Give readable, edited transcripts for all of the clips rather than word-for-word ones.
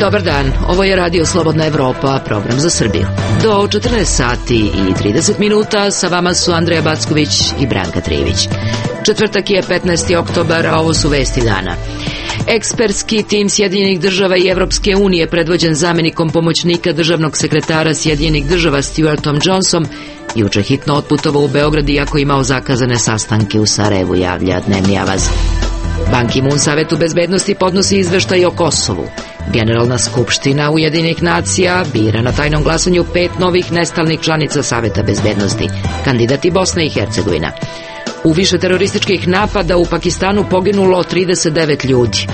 Dobar dan, ovo je Radio Slobodna Evropa, program za Srbiju. Do 14 sati i 30 minuta sa vama su Andreja Backović i Branka Trivić. Četvrtak je 15. oktobar, a ovo su vesti dana. Ekspertski tim Sjedinjenih država i Evropske unije, predvođen zamenikom pomoćnika državnog sekretara Sjedinjenih država Stuartom Johnsonom, juče hitno otputovao u Beograd iako imao zakazane sastanke u Sarajevu, javlja Dnevni Avaz. Ban Ki-moon Savetu bezbednosti podnosi izveštaj o Kosovu. Generalna skupština Ujedinjenih nacija bira na tajnom glasanju 5 novih nestalnih članica Saveta bezbednosti, kandidati Bosna i Hercegovina. U više terorističkih napada u Pakistanu poginulo 39 ljudi.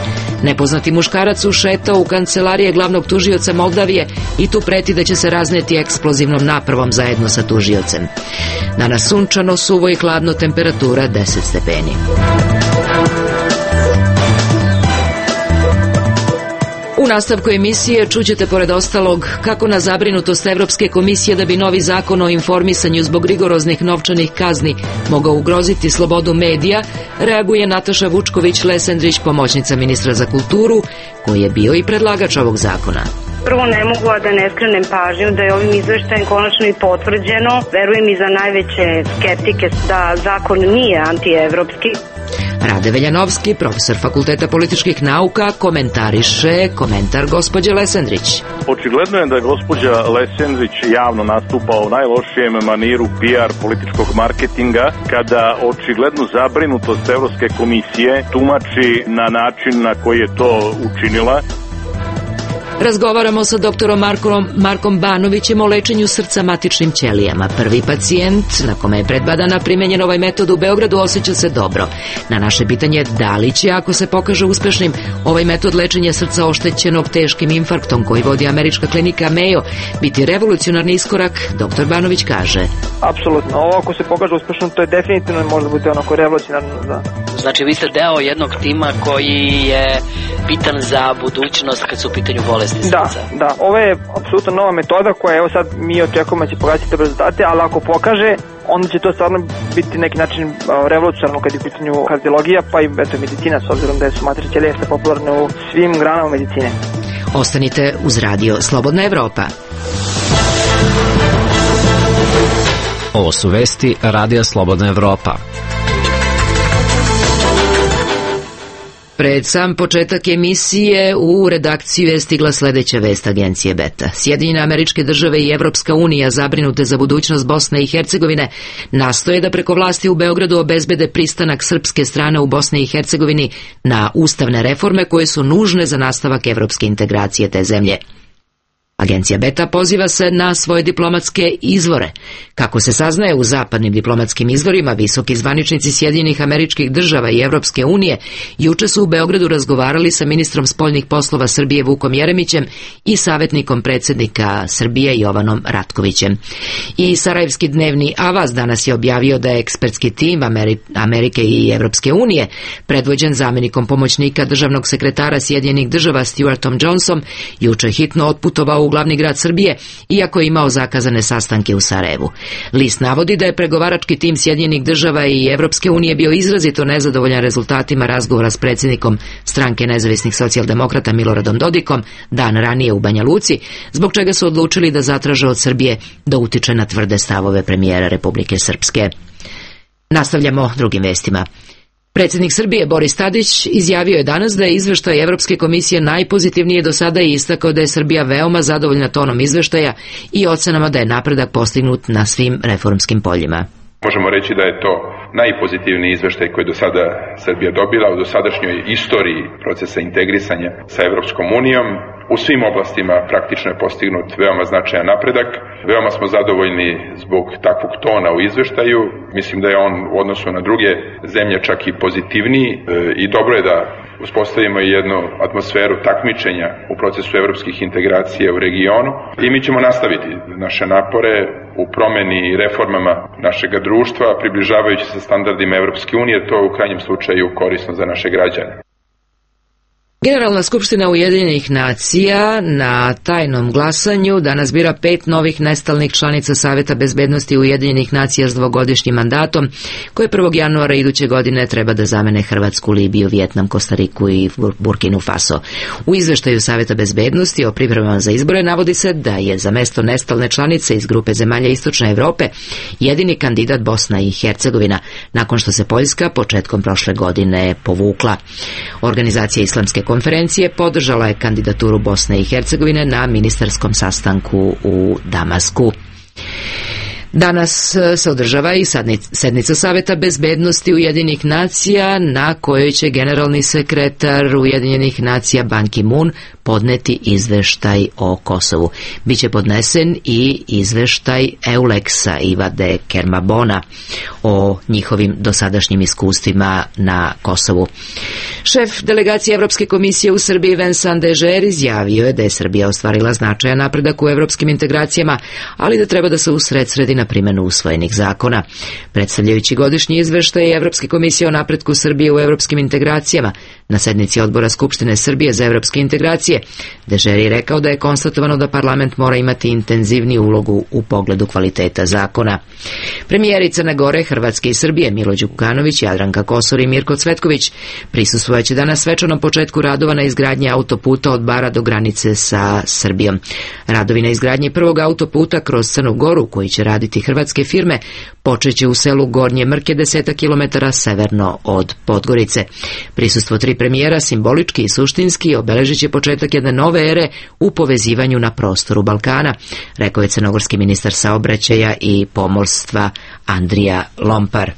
Nepoznati muškarac ušetao u kancelarije glavnog tužioca Moldavije i tu preti da će se razneti eksplozivnom napravom zajedno sa tužiocem. Danas sunčano, suvo i hladno, temperatura 10 stepeni. U nastavku emisije čućete pored ostalog kako na zabrinutost Evropske komisije da bi novi zakon o informisanju zbog rigoroznih novčanih kazni mogao ugroziti slobodu medija, reaguje Nataša Vučković-Lesendrić, pomoćnica ministra za kulturu, koji je bio i predlagač ovog zakona. Prvo, ne mogu da ne skrenem pažnju da je ovim izveštajem konačno i potvrđeno, verujem i za najveće skeptike, da zakon nije antievropski. Rade Veljanovski, profesor Fakulteta političkih nauka, komentariše komentar gospođe Lesendrić. Očigledno je da je gospođa Lesendrić javno nastupa u najlošijem maniru PR političkog marketinga, kada očiglednu zabrinutost Evropske komisije tumači na način na koji je to učinila. Razgovaramo sa doktorom Markom Banovićem o lečenju srca matičnim ćelijama. Prvi pacijent na kome je pred 2 dana primenjen ovaj metod u Beogradu osjeća se dobro. Na naše pitanje da li će, ako se pokaže uspešnim, ovaj metod lečenja srca oštećenog teškim infarktom koji vodi američka klinika Mayo biti revolucionarni iskorak, doktor Banović kaže. Apsolutno, ovo ako se pokaže uspešno, to je definitivno možda biti onako revolucionarno. Znači vi ste deo jednog tima koji je bitan za budućnost kad su u pitanju bolesti srca. Da, ovo je apsolutno nova metoda koja, evo sad mi očekujemo da će pokazati te rezultate, ali ako pokaže, onda će to stvarno biti neki način revolucionarno kad je u pitanju kardiologija, pa i medicina, s obzirom da su matrične ćelije popularne u svim granama medicine. Ostanite uz Radio Slobodna Evropa. Ovo su vesti Radija Slobodna Evropa. Pred sam početak emisije u redakciju je stigla sledeća vest agencije Beta. Sjedinjene Američke Države i Evropska unija, zabrinute za budućnost Bosne i Hercegovine, nastoje da preko vlasti u Beogradu obezbede pristanak srpske strane u Bosni i Hercegovini na ustavne reforme koje su nužne za nastavak evropske integracije te zemlje. Agencija Beta poziva se na svoje diplomatske izvore. Kako se saznaje u zapadnim diplomatskim izvorima, visoki zvaničnici Sjedinjenih Američkih Država i Evropske unije juče su u Beogradu razgovarali sa ministrom spoljnih poslova Srbije Vukom Jeremićem i savjetnikom predsjednika Srbije Jovanom Ratkovićem. I Sarajevski Dnevni Avaz danas je objavio da je ekspertski tim Amerike i Evropske unije, predvođen zamenikom pomoćnika državnog sekretara Sjedinjenih Država Stuartom Johnsonom, juče hitno otputovao u glavni grad Srbije, iako je imao zakazane sastanke u Sarajevu. List navodi da je pregovarački tim Sjedinjenih Država i Evropske unije bio izrazito nezadovoljan rezultatima razgovora s predsjednikom stranke nezavisnih socijaldemokrata Miloradom Dodikom dan ranije u Banja Luci, zbog čega su odlučili da zatraže od Srbije da utiče na tvrde stavove premijera Republike Srpske. Nastavljamo drugim vestima. Predsjednik Srbije Boris Tadić izjavio je danas da je izveštaj Evropske komisije najpozitivnije do sada i istakao da je Srbija veoma zadovoljna tonom izveštaja i ocenama da je napredak postignut na svim reformskim poljima. Možemo reći da je to najpozitivniji izveštaj koji je do sada Srbija dobila u dosadašnjoj istoriji procesa integrisanja sa Evropskom unijom. U svim oblastima praktično je postignut veoma značajan napredak. Veoma smo zadovoljni zbog takvog tona u izveštaju. Mislim da je on u odnosu na druge zemlje čak i pozitivniji i dobro je da uspostavimo jednu atmosferu takmičenja u procesu evropskih integracija u regionu i mi ćemo nastaviti naše napore u promeni i reformama našega društva, približavajući se standardima Evropske unije, to je u krajnjem slučaju korisno za naše građane. Generalna skupština Ujedinjenih nacija na tajnom glasanju danas bira 5 novih nestalnih članica Saveta bezbednosti Ujedinjenih nacija s dvogodišnjim mandatom, koje 1. januara iduće godine treba da zamene Hrvatsku, Libiju, Vijetnam, Kostariku i Burkinu Faso. U izveštaju Saveta bezbednosti o pripremama za izbore navodi se da je za mesto nestalne članice iz grupe zemalja Istočne Evrope jedini kandidat Bosna i Hercegovina, nakon što se Poljska početkom prošle godine povukla. Organizacija Islamske konferencije podržala je kandidaturu Bosne i Hercegovine na ministarskom sastanku u Damasku. Danas se održava i sednica Saveta bezbednosti Ujedinjenih nacija, na kojoj će generalni sekretar Ujedinjenih nacija Ban Ki-moon podneti izveštaj o Kosovu. Biće podnesen i izveštaj EULEX-a Ivade Kermabona o njihovim dosadašnjim iskustvima na Kosovu. Šef delegacije Evropske komisije u Srbiji Vincent Dežer izjavio je da je Srbija ostvarila značajan napredak u evropskim integracijama, ali da treba da se usredsredi na primjenu usvojenih zakona. Predstavljajući godišnji izveštaj Evropske komisije o napretku Srbije u evropskim integracijama na sednici odbora Skupštine Srbije za evropske integracije, Dežer je rekao da je konstatovano da parlament mora imati intenzivniju ulogu u pogledu kvaliteta zakona. Premijeri Crne Gore, Hrvatske i Srbije Milo Đukanović, Jadranka Kosor i Mirko Cvetković prisustvovat danas svečanom početku radova na izgradnji autoputa od Bara do granice sa Srbijom. Radovi na izgradnji prvog autoputa kroz Crnu Goru, koji će raditi hrvatske firme, počeće u selu Gornje Mrke 10 km severno od Podgorice. Prisustvo 3 premijera simbolički i suštinski obeležit će početak jedne nove ere u povezivanju na prostoru Balkana, rekao je crnogorski ministar saobraćaja i pomorstva Andrija Lompar.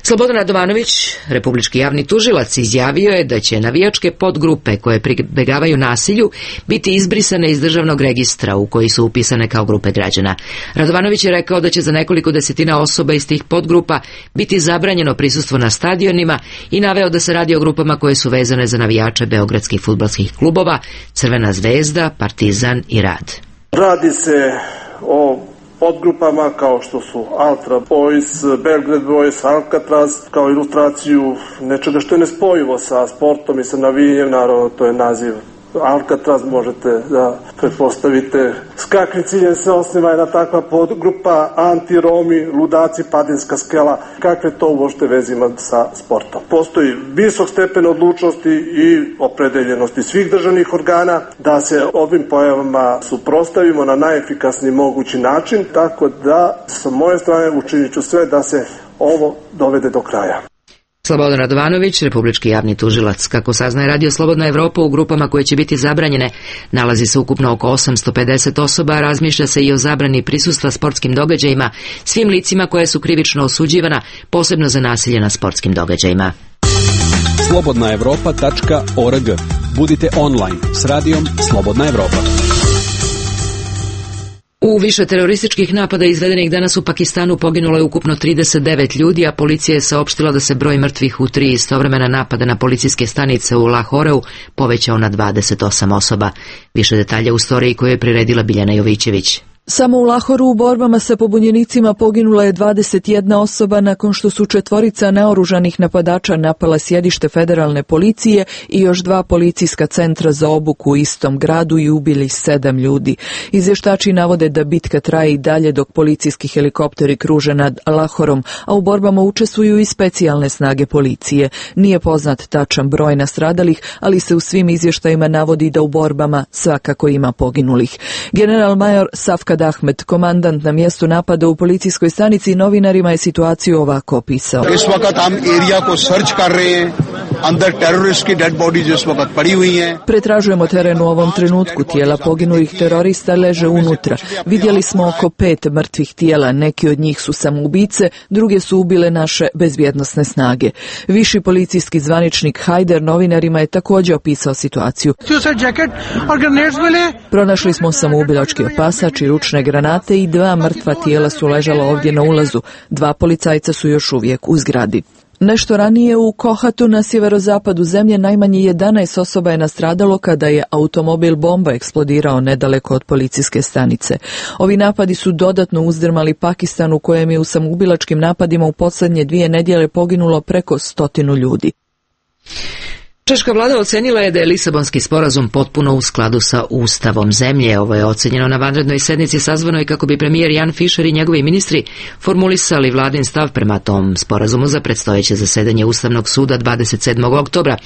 Slobodan Radovanović, republički javni tužilac, izjavio je da će navijačke podgrupe koje pribegavaju nasilju biti izbrisane iz državnog registra u koji su upisane kao grupe građana. Radovanović je rekao da će za nekoliko desetina osoba iz tih podgrupa biti zabranjeno prisustvo na stadionima i naveo da se radi o grupama koje su vezane za navijače beogradskih fudbalskih klubova Crvena zvezda, Partizan i Rad. Radi se o podgrupama kao što su Ultra Boys, Belgrade Boys, Alcatraz, kao ilustraciju nečega što je nespojivo sa sportom i sa navijanjem, naravno to je naziv Alcatraz, možete da pretpostavite s kakvim ciljem se osniva jedna takva podgrupa, anti-Romi, ludaci, Padinska skela, kakve to uopšte veze ima sa sportom. Postoji visok stepen odlučnosti i opredeljenosti svih državnih organa da se ovim pojavama suprotstavimo na najefikasniji mogući način, tako da sa moje strane učinit ću sve da se ovo dovede do kraja. Slobodan Radovanović, republički javni tužilac. Kako saznaje Radio Slobodna Evropa, u grupama koje će biti zabranjene nalazi se ukupno oko 850 osoba, a razmišlja se i o zabrani prisustva sportskim događajima svim licima koje su krivično osuđivana, posebno za nasilje na sportskim događajima. slobodnaevropa.org. Budite online s radijom Slobodna Evropa. U više terorističkih napada izvedenih danas u Pakistanu poginulo je ukupno 39 ljudi, a policija je saopštila da se broj mrtvih u 3 istovremena napada na policijske stanice u Lahoreu povećao na 28 osoba. Više detalja u storiji koju je priredila Biljana Jovićević. Samo u Lahoru u borbama sa pobunjenicima poginula je 21 osoba nakon što su 4 naoružanih napadača napala sjedište federalne policije i još 2 policijska centra za obuku u istom gradu i ubili 7 ljudi. Izvještači navode da bitka traje i dalje dok policijski helikopteri kruže nad Lahorom, a u borbama učestvuju i specijalne snage policije. Nije poznat tačan broj nastradalih, ali se u svim izvještajima navodi da u borbama svakako ima poginulih. General major Safkad Ahmed, komandant na mjestu napada u policijskoj stanici, novinarima je situaciju ovako opisao. Is वक्त हम एरिया को सर्च कर रहे हैं, अंदर टेररिस्ट की dead bodies इस वक्त पड़ी हुई हैं. Pretražujemo teren u ovom trenutku, tijela poginulih terorista leže unutra. Vidjeli smo oko 5 mrtvih tijela, neki od njih su samoubice, druge su ubile naše bezbjednosne snage. Viši policijski zvaničnik Hajder novinarima je također opisao situaciju. Pronašli smo samoubilački opasač i ručne granate i 2 mrtva tijela su ležala ovdje na ulazu. 2 policajca su još uvijek u zgradi. Nešto ranije u Kohatu na sjeverozapadu zemlje najmanje 11 osoba je nastradalo kada je automobil bomba eksplodirao nedaleko od policijske stanice. Ovi napadi su dodatno uzdrmali Pakistan, u kojem je u samoubilačkim napadima u posljednje 2 nedjelje poginulo preko 100 ljudi. Češka vlada ocenila je da je Lisabonski sporazum potpuno u skladu sa ustavom zemlje. Ovo je ocenjeno na vanrednoj sednici sazvanoj kako bi premijer Jan Fischer i njegovi ministri formulisali vladin stav prema tom sporazumu za predstojeće zasedanje Ustavnog suda 27. oktobra.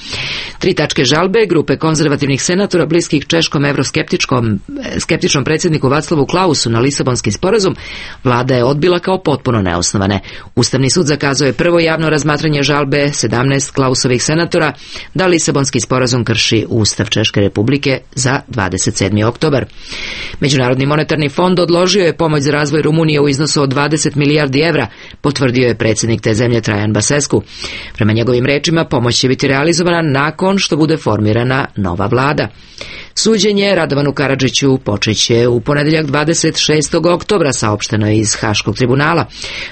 3 tačke žalbe grupe konzervativnih senatora bliskih češkom evroskeptičnom predsjedniku Václavu Klausu na Lisabonski sporazum vlada je odbila kao potpuno neosnovane. Ustavni sud zakazao je prvo javno razmatranje žalbe 17 Klausovih senatora da Lisabonski sporazum krši Ustav Češke republike za 27. oktobar. Međunarodni monetarni fond odložio je pomoć za razvoj Rumunije u iznosu od 20 milijardi evra, potvrdio je predsjednik te zemlje Trajan Basescu. Prema njegovim rečima, pomoć će biti realizovana nakon što bude formirana nova vlada. Suđenje Radovanu Karadžiću počeće u ponedjeljak 26. oktobra, saopšteno je iz Haškog tribunala.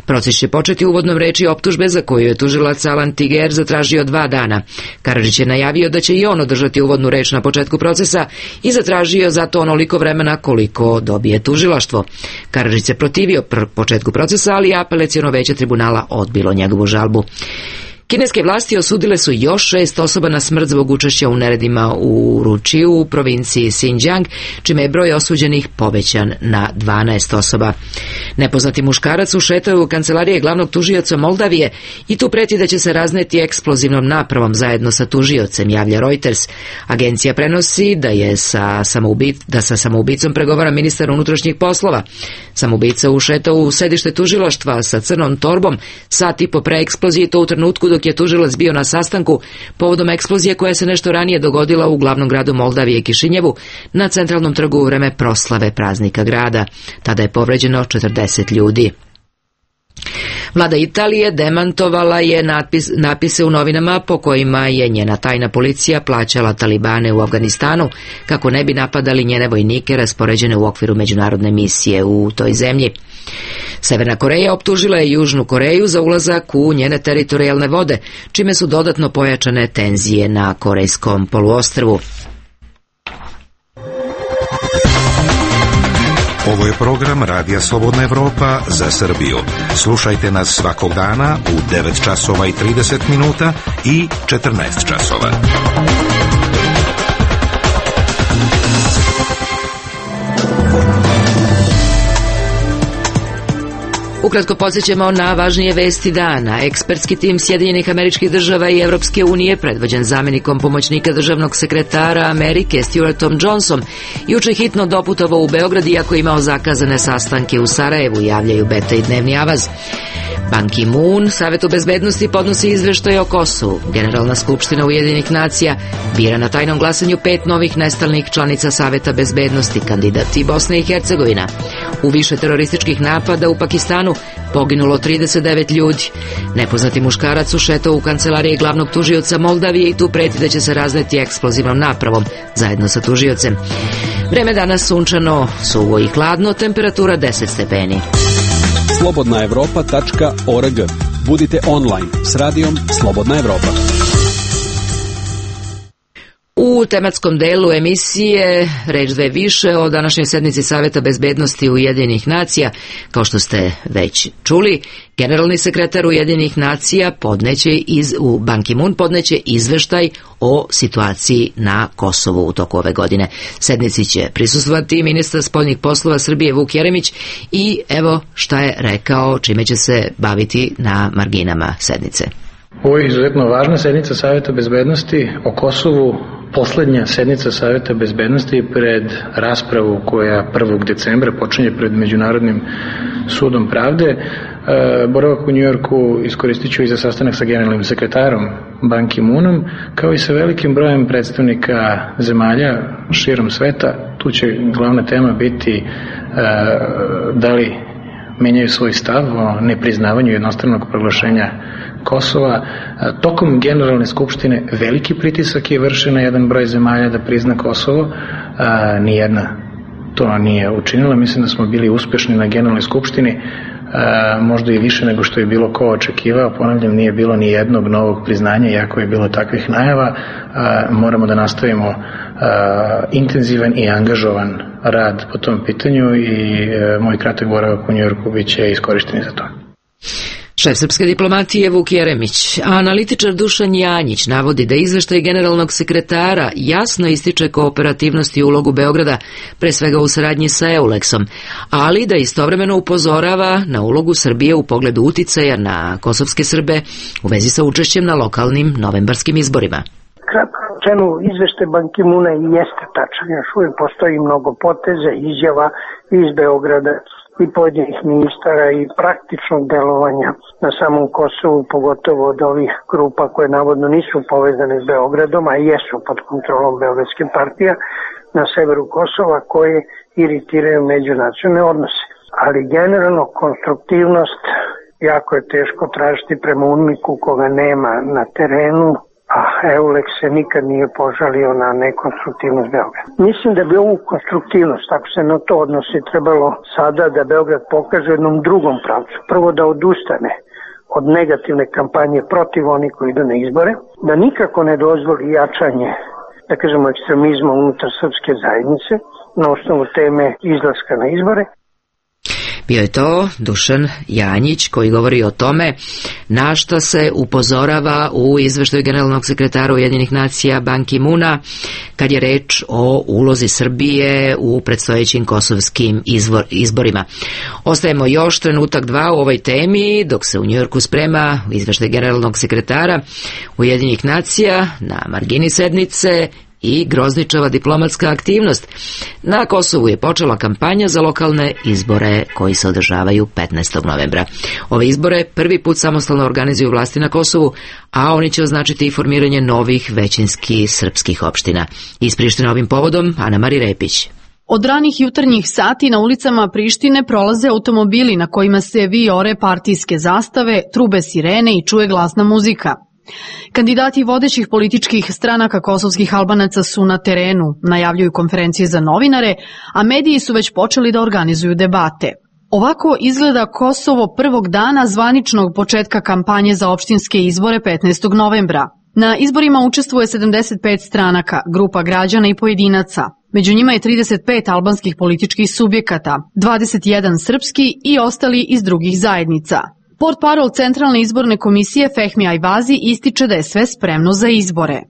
Proces će početi uvodnom reči optužbe za koju je tužilac Alan Tiger zatražio 2 dana. Karadžić je najavio da će i on održati uvodnu reč na početku procesa i zatražio za to onoliko vremena koliko dobije tužilaštvo. Karadžić se protivio početku procesa, ali apelaciono veće tribunala odbilo njegovu žalbu. Kineske vlasti osudile su još 6 osoba na smrt zbog učešća u neredima u Ručiju u provinciji Xinjiang, čime je broj osuđenih povećan na 12 osoba. Nepoznati muškarac ušetao u kancelarije glavnog tužioca Moldavije i tu preti da će se razneti eksplozivnom napravom zajedno sa tužiocem, javlja Reuters. Agencija prenosi da sa samoubicom pregovara ministar unutrašnjih poslova. Samoubica ušetao u sedište tužilaštva sa crnom torbom sat i po pre eksplozije, to u trenutku dok je tužilac bio na sastanku povodom eksplozije koja se nešto ranije dogodila u glavnom gradu Moldavije Kišinjevu na centralnom trgu u vreme proslave praznika grada. Tada je povređeno 40 ljudi. Vlada Italije demantovala je napise u novinama po kojima je njena tajna policija plaćala talibane u Afganistanu kako ne bi napadali njene vojnike raspoređene u okviru međunarodne misije u toj zemlji. Severna Koreja optužila je Južnu Koreju za ulazak u njene teritorijalne vode, čime su dodatno pojačane tenzije na Korejskom poluostrvu. Ovo je program Radija Slobodna Evropa za Srbiju. Slušajte nas svakog dana u 9 časova i 30 minuta i 14 časova. Ukratko podsjećamo na važnije vesti dana. Ekspertski tim Sjedinjenih Američkih Država i Evropske unije, predvođen zamjenikom pomoćnika državnog sekretara Amerike Stuartom Johnsonom, juče hitno doputovao u Beograd iako je imao zakazane sastanke u Sarajevu, javljaju Beta i Dnevni Avaz. Ban Ki-moon Savetu bezbednosti podnosi izveštaj o Kosovu. Generalna skupština Ujedinjenih nacija bira na tajnom glasanju 5 novih nestalnih članica Saveta bezbednosti, kandidati Bosne i Hercegovina. U više terorističkih napada u Pakistanu poginulo 39 ljudi. Nepoznati muškarac ušetao u kancelarije glavnog tužioca Moldavije i tu preti da će se razneti eksplozivnom napravom zajedno sa tužiocem. Vreme danas sunčano, suvo i hladno, temperatura 10 stepeni. slobodnaevropa.org. Budite online s radijom Slobodna Evropa. U tematskom delu emisije reč dve više o današnjoj sednici Saveta bezbednosti Ujedinjenih nacija. Kao što ste već čuli, generalni sekretar Ujedinjenih nacija Ban Ki-moon podneće izveštaj o situaciji na Kosovu u toku ove godine. Sednici će prisustvovati ministar spoljnih poslova Srbije Vuk Jeremić i evo šta je rekao, čime će se baviti na marginama sednice. Ovo je izuzetno važna sednica Saveta bezbednosti o Kosovu, poslednja sednica Saveta bezbednosti pred raspravu koja 1. decembra počinje pred Međunarodnim sudom pravde. Boravak u Njujorku iskoristit ću i za sastanak sa generalnim sekretarom Ban Ki-moonom, kao i sa velikim brojem predstavnika zemalja širom sveta. Tu će glavna tema biti da li menjaju svoj stav o nepriznavanju jednostranog proglašenja Kosova. Tokom generalne skupštine veliki pritisak je vršen na jedan broj zemalja da prizna Kosovo. Nijedna to nije učinila. Mislim da smo bili uspešni na generalnoj skupštini, možda i više nego što je bilo ko očekivao. Ponavljam, nije bilo ni jednog novog priznanja, iako je bilo takvih najava. Moramo da nastavimo intenzivan i angažovan rad po tom pitanju i moj kratak boravak u Njujorku bit će iskorišten za to. Šef srpske diplomatije Vuk Jeremić, a analitičar Dušan Janjić navodi da izveštaj generalnog sekretara jasno ističe kooperativnost i ulogu Beograda, pre svega u saradnji sa EULEX-om, ali da istovremeno upozorava na ulogu Srbije u pogledu uticaja na kosovske Srbe u vezi sa učešćem na lokalnim novembarskim izborima. Kratko rečeno, izveštaj Ban Ki-moona jeste tačan, još uvijek postoji mnogo poteza, izjava iz Beograda i pojedinih ministara i praktičnog delovanja na samom Kosovu, pogotovo od ovih grupa koje navodno nisu povezane s Beogradom, a jesu pod kontrolom beogradske partije na severu Kosova, koje iritiraju međunacionalne odnose. Ali generalno konstruktivnost jako je teško tražiti prema UNMIK-u koga nema na terenu, a EULEX se nikad nije požalio na nekonstruktivnost Beograda. Mislim da bi ovu konstruktivnost, ako se na to odnosi, trebalo sada da Beograd pokaže u jednom drugom pravcu. Prvo da odustane od negativne kampanje protiv onih koji idu na izbore, da nikako ne dozvoli jačanje, da kažemo, ekstremizma unutar srpske zajednice na osnovu teme izlaska na izbore. Bio je to Dušan Janjić koji govori o tome na šta se upozorava u izveštaju generalnog sekretara Ujedinjenih nacija Ban Ki-moona kad je reč o ulozi Srbije u predstojećim kosovskim izborima. Ostajemo još trenutak dva u ovoj temi dok se u Njujorku sprema izveštaj generalnog sekretara Ujedinjenih nacija na margini sednice i grozničava diplomatska aktivnost. Na Kosovu je počela kampanja za lokalne izbore koji se održavaju 15. novembra. Ove izbore prvi put samostalno organizuju vlasti na Kosovu, a oni će označiti i formiranje novih većinskih srpskih opština. Iz Prištine ovim povodom Ana Mari Repić. Od ranih jutarnjih sati na ulicama Prištine prolaze automobili na kojima se vijore partijske zastave, trube sirene i čuje glasna muzika. Kandidati vodećih političkih stranaka kosovskih Albanaca su na terenu, najavljuju konferencije za novinare, a mediji su već počeli da organizuju debate. Ovako izgleda Kosovo prvog dana zvaničnog početka kampanje za opštinske izbore 15. novembra. Na izborima učestvuje 75 stranaka, grupa građana i pojedinaca. Među njima je 35 albanskih političkih subjekata, 21 srpski i ostali iz drugih zajednica. Portparol Centralne izborne komisije Fehmi Ajvazi ističe da je sve spremno za izbore.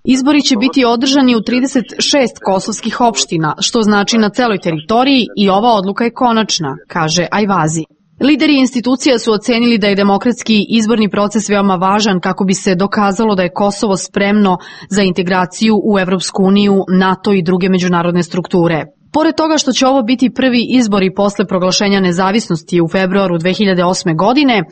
Izbori će biti održani u 36 kosovskih opština, što znači na celoj teritoriji i ova odluka je konačna, kaže Ajvazi. Lideri institucija su ocenili da je demokratski izborni proces veoma važan kako bi se dokazalo da je Kosovo spremno za integraciju u Evropsku uniju, NATO i druge međunarodne strukture. Pored toga što će ovo biti prvi izbori posle proglašenja nezavisnosti u februaru 2008. godine,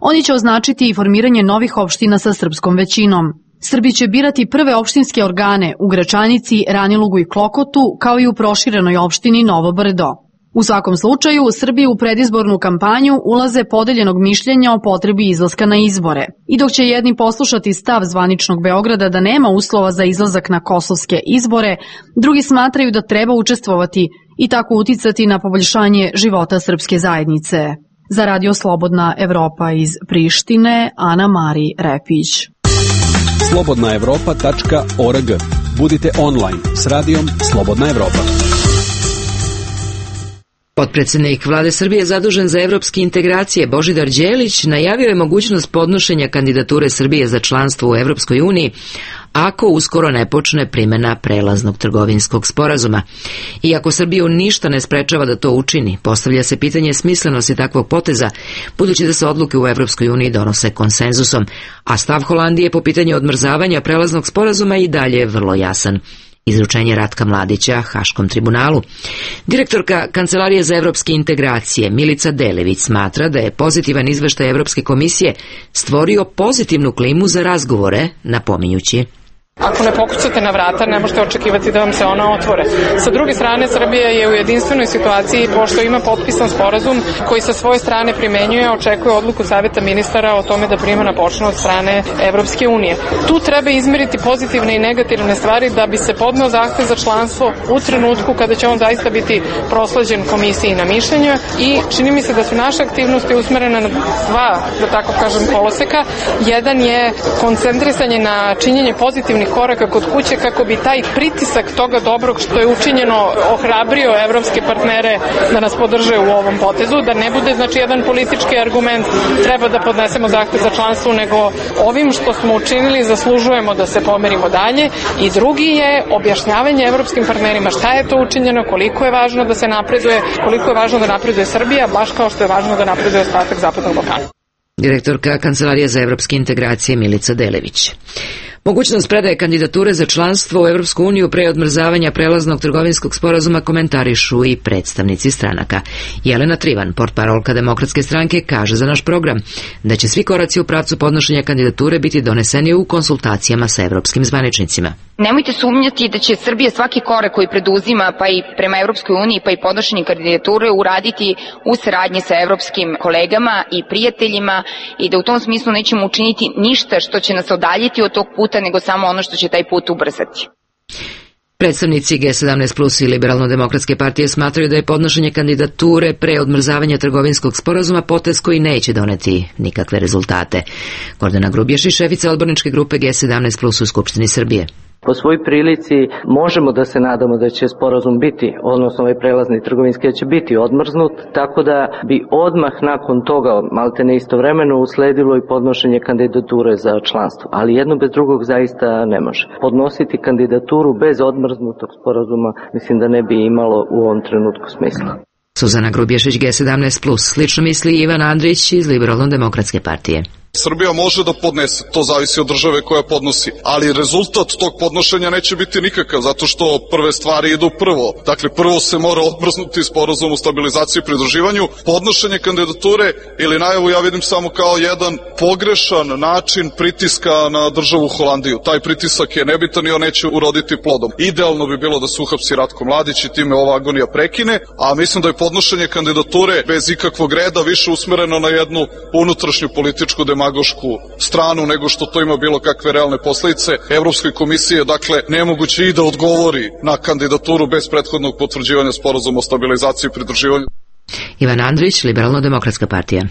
oni će označiti i formiranje novih opština sa srpskom većinom. Srbi će birati prve opštinske organe u Gračanici, Ranilugu i Klokotu, kao i u proširenoj opštini Novo Brdo. U svakom slučaju, Srbi u predizbornu kampanju ulaze podeljenog mišljenja o potrebi izlaska na izbore. I dok će jedni poslušati stav zvaničnog Beograda da nema uslova za izlazak na kosovske izbore, drugi smatraju da treba učestvovati i tako uticati na poboljšanje života srpske zajednice. Za Radio Slobodna Evropa iz Prištine, Ana Mari Repić. slobodnaevropa.org. Budite online s radijom Slobodna Evropa. Potpredsednik Vlade Srbije zadužen za evropske integracije Božidar Đelić najavio je mogućnost podnošenja kandidature Srbije za članstvo u Evropskoj uniji ako uskoro ne počne primjena prelaznog trgovinskog sporazuma. Iako Srbiju ništa ne sprečava da to učini, postavlja se pitanje smislenosti takvog poteza, budući da se odluke u Evropskoj uniji donose konsenzusom, a stav Holandije po pitanju odmrzavanja prelaznog sporazuma i dalje je vrlo jasan. Izručenje Ratka Mladića Haškom tribunalu. Direktorka Kancelarije za evropske integracije Milica Delević smatra da je pozitivan izveštaj Evropske komisije stvorio pozitivnu klimu za razgovore, napominjući: Ako ne pokucate na vrata, ne možete očekivati da vam se ona otvore. Sa druge strane, Srbija je u jedinstvenoj situaciji, pošto ima potpisan sporazum koji sa svoje strane primenjuje, očekuje odluku Saveta ministara o tome da primjena počne od strane Evropske unije. Tu treba izmeriti pozitivne i negativne stvari da bi se podneo zahtev za članstvo u trenutku kada će on zaista biti prosleđen komisiji na mišljenje i čini mi se da su naše aktivnosti usmerene na dva, da tako kažem, koloseka. Jedan je koncentrisanje na činjenje pozitivnih određenih koraka kod kuće kako bi taj pritisak toga dobrog što je učinjeno ohrabrio evropske partnere da nas podrže u ovom potezu, da ne bude znači jedan politički argument treba da podnesemo zahtev za članstvo, nego ovim što smo učinili zaslužujemo da se pomerimo dalje. I drugi je objašnjavanje evropskim partnerima šta je to učinjeno, koliko je važno da se napreduje, koliko je važno da napreduje Srbija, baš kao što je važno da napreduje ostatak Zapadnog Balkana. Direktorka Kancelarije za evropske integracije Milica Delević. Mogućnost predaje kandidature za članstvo u Evropsku uniju pre odmrzavanja prelaznog trgovinskog sporazuma komentarišu i predstavnici stranaka. Jelena Trivan, portparolka Demokratske stranke, kaže za naš program da će svi koraci u pravcu podnošenja kandidature biti doneseni u konsultacijama sa evropskim zvaničnicima. Nemojte sumnjati da će Srbija svaki korak koji preduzima, pa i prema Evropskoj uniji, pa i podnošenje kandidature uraditi u saradnji sa evropskim kolegama i prijateljima i da u tom smislu nećemo učiniti ništa što će nas odaljiti od tog puta, nego samo ono što će taj put ubrzati. Predstavnici G17 Plus i Liberalno-demokratske partije smatraju da je podnošenje kandidature pre odmrzavanja trgovinskog sporazuma potez koji neće doneti nikakve rezultate. Gordana Grubješić, šefica odborničke grupe G17 Plus u Skupštini Srbije. Po svoj prilici možemo da se nadamo da će sporazum biti, odnosno ovaj prelazni trgovinski da će biti odmrznut, tako da bi odmah nakon toga, maltene istovremeno, usledilo i podnošenje kandidature za članstvo. Ali jedno bez drugog zaista ne može. Podnositi kandidaturu bez odmrznutog sporazuma mislim da ne bi imalo u ovom trenutku smisla. Suzana Grubješić, G17 Plus. Slično misli Ivan Andrić iz Liberalno-demokratske partije. Srbija može da podnese, to zavisi od države koja podnosi, ali rezultat tog podnošenja neće biti nikakav, zato što prve stvari idu prvo. Dakle, prvo se mora odmrznuti sporazum o stabilizaciji i pridruživanju. Podnošenje kandidature ili najavu ja vidim samo kao jedan pogrešan način pritiska na državu Holandiju. Taj pritisak je nebitan i on neće uroditi plodom. Idealno bi bilo da se uhapsi Ratko Mladić i time ova agonija prekine, a mislim da je podnošenje kandidature bez ikakvog reda više usmereno na jednu unutrašnju političku demagošku stranu nego što to ima bilo kakve realne posledice. Evropskoj komisiji je dakle nemoguće i da odgovori na kandidaturu bez prethodnog potvrđivanja sporazuma o stabilizaciji i pridruživanju. Ivan Andrić, Liberalno-demokratska partija.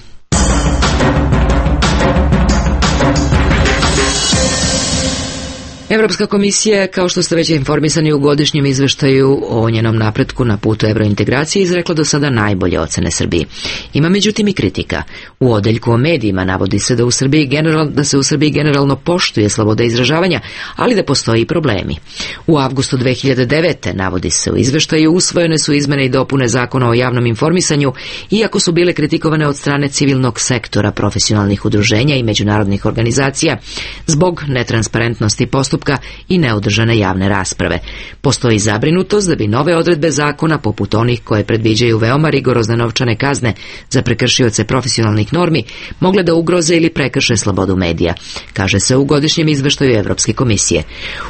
Evropska komisija, kao što ste već informisani u godišnjem izveštaju o njenom napretku na putu evrointegracije, izrekla do sada najbolje ocene Srbiji. Ima međutim i kritika. U odeljku o medijima navodi se da se u Srbiji generalno poštuje sloboda izražavanja, ali da postoji i problemi. U avgustu 2009. navodi se u izveštaju usvojene su izmene i dopune Zakona o javnom informisanju, iako su bile kritikovane od strane civilnog sektora, profesionalnih udruženja i međunarodnih organizacija zbog netransparentnosti postupka i neodržane javne rasprave. Postoji zabrinutost da bi nove odredbe zakona, poput onih koje predviđaju veoma rigorozne novčane kazne za prekršioce profesionalnih normi, mogle da ugroze ili prekrše slobodu medija, kaže se u godišnjem izveštaju Evropske komisije.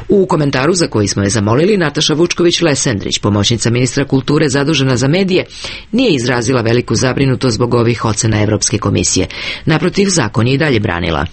U komentaru za koji smo je zamolili, Nataša Vučković-Lesendrić, pomoćnica ministra kulture zadužena za medije, nije izrazila veliku zabrinutost zbog ovih ocena Evropske komisije. Naprotiv, zakon je i dalje branila.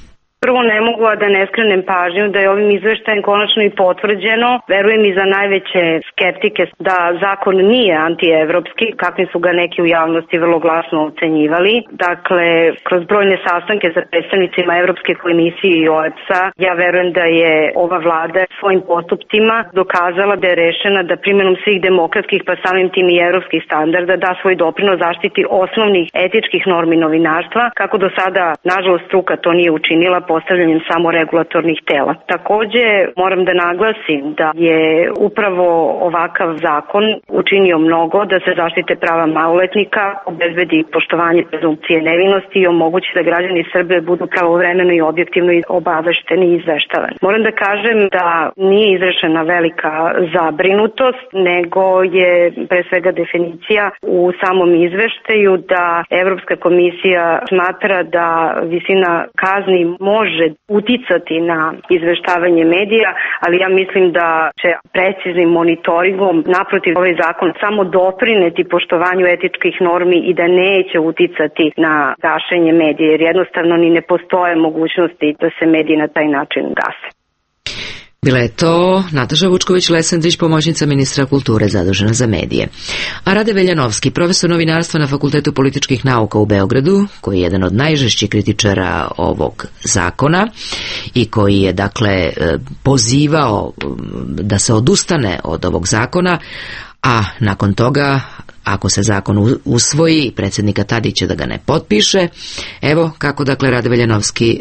Prvo ne mogu da ne skrenem pažnju da je ovim izveštajem konačno i potvrđeno, verujem i za najveće skeptike, da zakon nije antievropski, kakvi su ga neki u javnosti vrlo glasno ocenjivali. Dakle, kroz brojne sastanke sa predstavnicima Evropske komisije i OEBS-a, ja verujem da je ova vlada svojim postupcima dokazala da je rešena da primjenom svih demokratskih, pa samim tim i evropskih standarda, da svoj doprinos zaštiti osnovnih etičkih normi novinarstva, kako do sada, nažalost, struka to nije učinila postavljanjem samo regulatornih tela. Takođe, moram da naglasim da je upravo ovakav zakon učinio mnogo da se zaštite prava maloletnika, obezbedi poštovanje prezumpcije nevinosti i omogući da građani Srbije budu pravovremeno i objektivno obavešteni i izveštavani. Moram da kažem da nije izrešena velika zabrinutost, nego je pre svega definicija u samom izveštaju da Evropska komisija smatra da visina kazni može uticati na izveštavanje medija, ali ja mislim da će preciznim monitoringom naprotiv ovaj zakon samo doprineti poštovanju etičkih normi i da neće uticati na gašenje medija, jer jednostavno ni ne postoje mogućnosti da se mediji na taj način gase. Bila je to Nataša Vučković-Lesendrić, pomoćnica ministra kulture zadužena za medije. A Rade Veljanovski, profesor novinarstva na Fakultetu političkih nauka u Beogradu, koji je jedan od najžešćih kritičara ovog zakona i koji je dakle pozivao da se odustane od ovog zakona, a nakon toga, ako se zakon usvoji, predsjednika Tadića da ga ne potpiše. Evo kako dakle Rade Veljanovski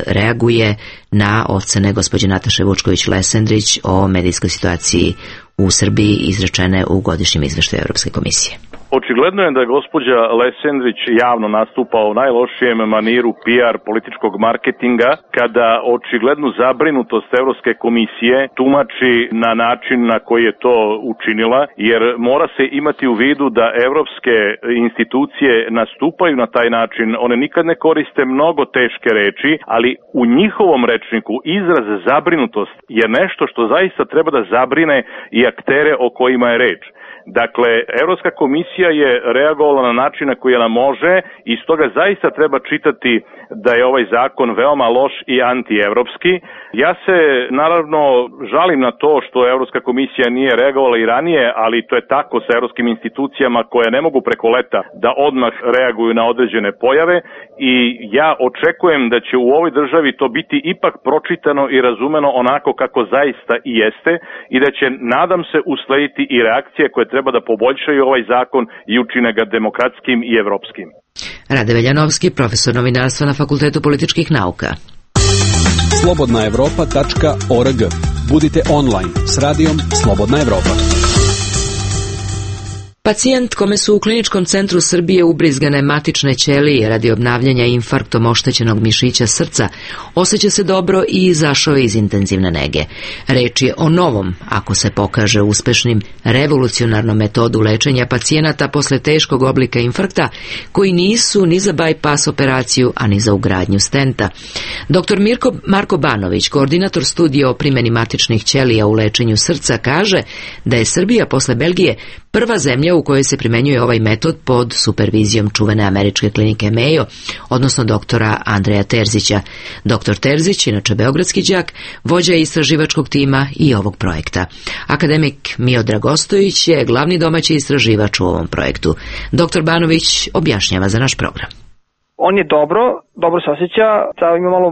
reaguje na ocene gospođe Nataše Vučković-Lesendrić o medijskoj situaciji u Srbiji izrečene u godišnjem izveštaju Evropske komisije. Očigledno je da je gospođa Lesendrić javno nastupa u najlošijem maniru PR političkog marketinga, kada očiglednu zabrinutost Evropske komisije tumači na način na koji je to učinila, jer mora se imati u vidu da evropske institucije nastupaju na taj način. One nikad ne koriste mnogo teške reči, ali u njihovom rečniku izraz zabrinutost je nešto što zaista treba da zabrine i aktere o kojima je reč. Dakle, Evropska komisija je reagovala na način na koji ona može i stoga zaista treba čitati da je ovaj zakon veoma loš i antievropski. Ja se naravno žalim na to što Evropska komisija nije reagovala i ranije, ali to je tako sa evropskim institucijama koje ne mogu preko leta da odmah reaguju na određene pojave i ja očekujem da će u ovoj državi to biti ipak pročitano i razumeno onako kako zaista i jeste i da će, nadam se, uslediti i reakcije koje treba da poboljšaju ovaj zakon i učine ga demokratskim i evropskim. Rade Veljanovski, profesor novinarstva na Fakultetu političkih nauka. Slobodnaevropa.org. Budite online s radijom Slobodna Evropa. Pacijent kome su u Kliničkom centru Srbije ubrizgane matične ćelije radi obnavljanja infarktom oštećenog mišića srca osjeća se dobro i izašao iz intenzivne nege. Reč je o novom, ako se pokaže uspešnim, revolucionarnom metodu lečenja pacijenata posle teškog oblika infarkta koji nisu ni za bypass operaciju, a ni za ugradnju stenta. Dr. Marko Banović, koordinator studija o primjeni matičnih ćelija u lečenju srca, kaže da je Srbija posle Belgije prva zemlja u kojoj se primenjuje ovaj metod pod supervizijom čuvene američke klinike Mayo, odnosno doktora Andreja Terzića. Doktor Terzić, inače beogradski đak, vođa istraživačkog tima i ovog projekta. Akademik Miodrag Ostojić je glavni domaći istraživač u ovom projektu. Doktor Banović objašnjava za naš program. On je dobro se osjeća, ima malo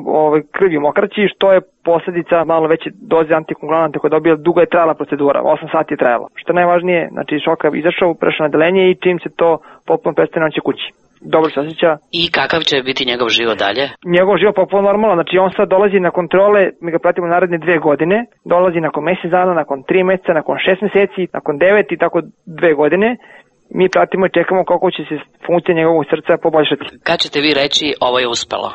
krvi u mokraći, što je posljedica malo veće doze antikoagulanata koje je dobila. Dugo je trajala procedura, 8 sati je trajala. Što je najvažnije, znači šoka izašao, prešao na odeljenje i čim se to potpuno prestane, on će kući. Dobro se osjeća. I kakav će biti njegov život dalje? Njegov život potpuno normalno, znači on sad dolazi na kontrole, mi ga pratimo naredne 2 godine, dolazi nakon mjesec dana, nakon 3 mjeseca, nakon 6 mjeseci, nakon 9 i tako 2 godine. Mi pratimo i čekamo kako će se funkcija njegovog srca poboljšati. Kad ćete vi reći ovo je uspelo?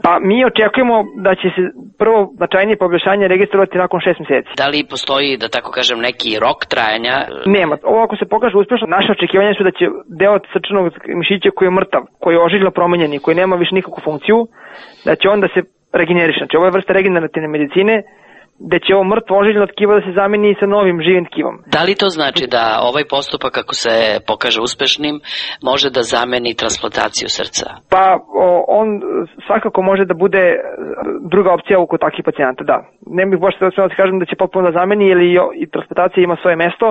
Pa mi očekujemo da će se prvo značajnije poboljšanje registrovati nakon 6 mjeseci. Da li postoji, da tako kažem, neki rok trajanja? Nema. Ovo ako se pokaže uspešno, naše očekivanja su da će deo srčanog mišića koji je mrtav, koji je ožiljno promenjen i koji nema više nikakvu funkciju, da će on da se regeneriše. Znači ovo je vrsta regenerativne medicine, da će ovo mrtvo ožiljno tkivo da se zameni sa novim živim tkivom. Da li to znači da ovaj postupak, ako se pokaže uspešnim, može da zameni transplantaciju srca? Pa on svakako može da bude druga opcija oko takvih pacijenata, da. Ne bih baš da kažem da će potpuno da zameni, jer i transplantacija ima svoje mesto,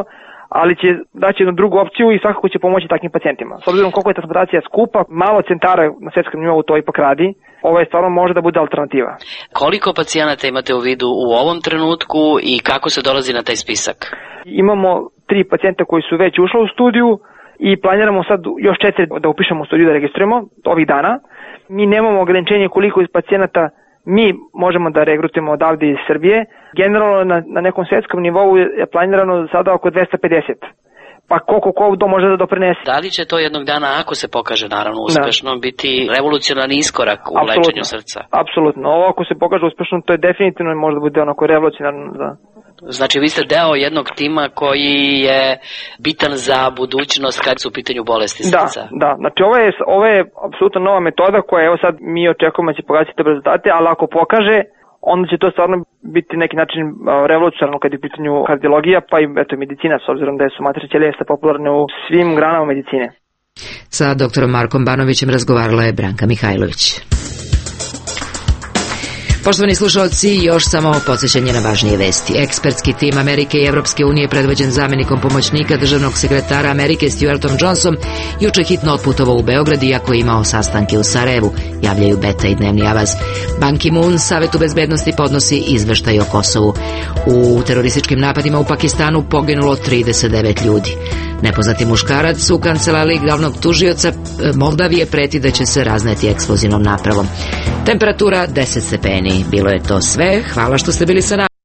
ali će daći jednu drugu opciju i svakako će pomoći takvim pacijentima. S obzirom koliko je transplantacija skupa, malo centara na svjetskom nivou to ipak radi, ovo je stvarno može da bude alternativa. Koliko pacijenata imate u vidu u ovom trenutku i kako se dolazi na taj spisak? Imamo 3 pacijenta koji su već ušli u studiju i planiramo sad još 4 da upišemo u studiju da registrujemo ovih dana. Mi nemamo ograničenje koliko iz pacijenata mi možemo da regrutujemo odavde iz Srbije. Generalno na nekom svjetskom nivou je planirano sada oko 250. Pa koliko to može da doprinese. Da li će to jednog dana, ako se pokaže naravno uspešno, biti revolucionarni iskorak u lečenju srca? Apsolutno. Ovo ako se pokaže uspešno, to je definitivno može da bude onako revolucionarno. Da. Znači vi ste deo jednog tima koji je bitan za budućnost kad su u pitanju bolesti srca. Da. Znači ovo je apsolutno nova metoda koja evo sad mi očekujemo da će pokazati dobre rezultate, ali ako pokaže, onda će to stvarno biti neki način revolucionarno kad je u pitanju kardiologija, pa i medicina, s obzirom da su matične ćelije popularne u svim granama medicine. Sa doktorom Markom Banovićem razgovarala je Branka Mihajlović. Poštovani slušalci, još samo podsjećanje na važnije vesti. Ekspertski tim Amerike i Evropske unije predvođen zamenikom pomoćnika državnog sekretara Amerike Stuartom Johnsonom juče hitno otputovao u Beograd iako je imao sastanke u Sarajevu, javljaju Beta i Dnevni Avaz. Ban Ki-moon Savetu bezbednosti podnosi izveštaj o Kosovu. U terorističkim napadima u Pakistanu poginulo 39 ljudi. Nepoznati muškarac u kancelariji glavnog tužioca Moldavije preti da će se razneti eksplozivnom napravom. Temperatura 10 stepeni. Bilo je to sve. Hvala što ste bili sa nama.